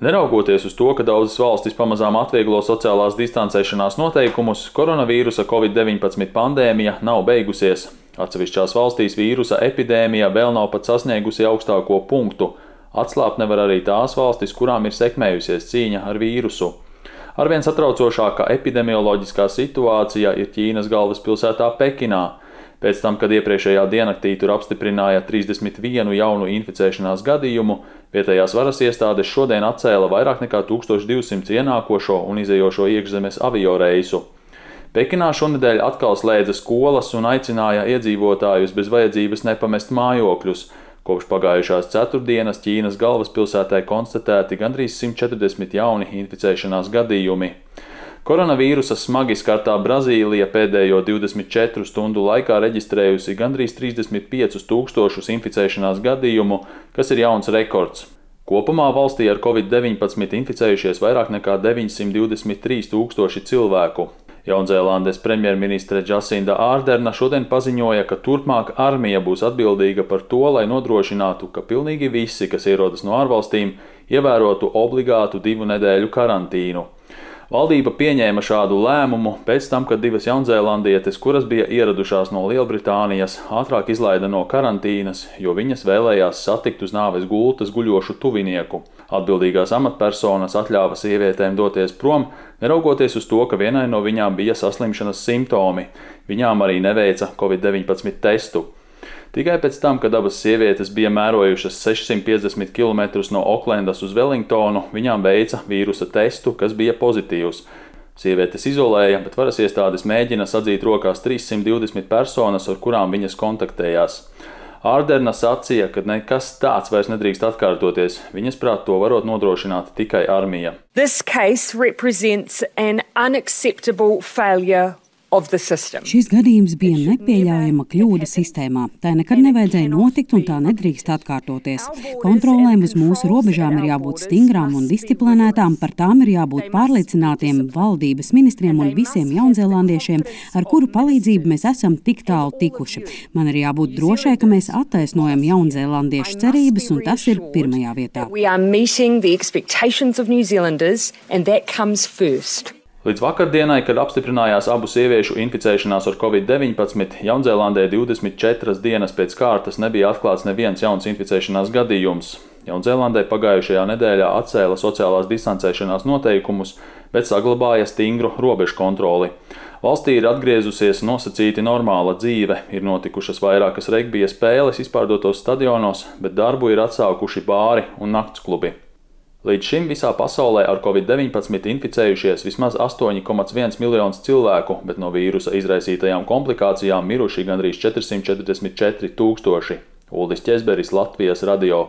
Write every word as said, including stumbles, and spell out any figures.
Neraugoties uz to, ka daudzas valstis pamazām atvieglo sociālās distancēšanās noteikumus, koronavīrusa covid deviņpadsmit pandēmija nav beigusies. Atsevišķās valstīs vīrusa epidēmija vēl nav pat sasniegusi augstāko punktu. Atslābt nevar arī tās valstis, kurām ir sekmējusies cīņa ar vīrusu. Arvien satraucošākā epidemioloģiskā situācija ir Ķīnas galvaspilsētā Pekinā. Pēc tam, kad iepriekšējā diennaktī tur apstiprināja trīsdesmit vienu jaunu inficēšanās gadījumu, vietējās varas iestādes šodien atcēla vairāk nekā tūkstoš divsimt ienākošo un izējošo iekšzemes avioreisu. Pekinā šonedēļ atkal slēdza skolas un aicināja iedzīvotājus bez vajadzības nepamest mājokļus. Kopš pagājušās ceturtdienas Ķīnas galvaspilsētā konstatēti gandrīz simt četrdesmit jauni inficēšanās gadījumi. Koronavīrusa smagi skartā Brazīlija pēdējo divdesmit četru stundu laikā reģistrējusi gandrīz trīsdesmit piecus tūkstošus inficēšanās gadījumu, kas ir jauns rekords. Kopumā valstī ar covid deviņpadsmit inficējušies vairāk nekā deviņsimt divdesmit trīs tūkstoši cilvēku. Jaunzēlandes premjerministre Džasinda Ārderna šodien paziņoja, ka turpmāk armija būs atbildīga par to, lai nodrošinātu, ka pilnīgi visi, kas ierodas no ārvalstīm, ievērotu obligātu divu nedēļu karantīnu. Valdība pieņēma šādu lēmumu pēc tam, kad divas jaunzēlandietes, kuras bija ieradušās no Lielbritānijas, ātrāk izlaida no karantīnas, jo viņas vēlējās satikt uz nāves gultas guļošu tuvinieku. Atbildīgās amatpersonas atļāva sievietēm doties prom, neraugoties uz to, ka vienai no viņām bija saslimšanas simptomi. Viņām arī neveica covid deviņpadsmit testu. Tikai pēc tam, kad abas sievietes bija mērojušas sešsimt piecdesmit kilometrus no Oklendas uz Velingtonu, viņām veica vīrusa testu, kas bija pozitīvs. Sievietes izolēja, bet varas iestādes mēģina sadzīt rokās trīssimt divdesmit personas, ar kurām viņas kontaktējās. Ārderna sacīja, ka nekas tāds vairs nedrīkst atkārtoties. Viņas prāt to varot nodrošināt tikai armija. This case represents an unacceptable failure. Šis gadījums bija nepieļaujama kļūda sistēmā. Tā nekad nevajadzēja notikt un tā nedrīkst atkārtoties. Kontrolēm uz mūsu robežām ir jābūt stingrām un disciplinētām, par tām ir jābūt pārliecinātiem valdības ministriem un visiem jaunzēlandiešiem, ar kuru palīdzību mēs esam tik tālu tikuši. Man ir jābūt drošai, ka mēs attaisnojam jaunzēlandiešu cerības, un tas ir pirmajā vietā. Līdz vakardienai, kad apstiprinājās abu sieviešu inficēšanās ar covid deviņpadsmit, Jaunzēlandē divdesmit četras dienas pēc kārtas nebija atklāts neviens jauns inficēšanās gadījums. Jaunzēlandē pagājušajā nedēļā atcēla sociālās distancēšanās noteikumus, bet saglabāja stingru robežu kontroli. Valstī ir atgriezusies nosacīti normāla dzīve, ir notikušas vairākas regbija spēles izpārdotos stadionos, bet darbu ir atsākuši bāri un naktsklubi. Līdz šim visā pasaulē ar covid deviņpadsmit inficējušies vismaz astoņi komats viens miljonus cilvēku, bet no vīrusa izraisītajām komplikācijām miruši gandrīz četrsimt četrdesmit četri tūkstoši. Uldis Ķezberis, Latvijas radio.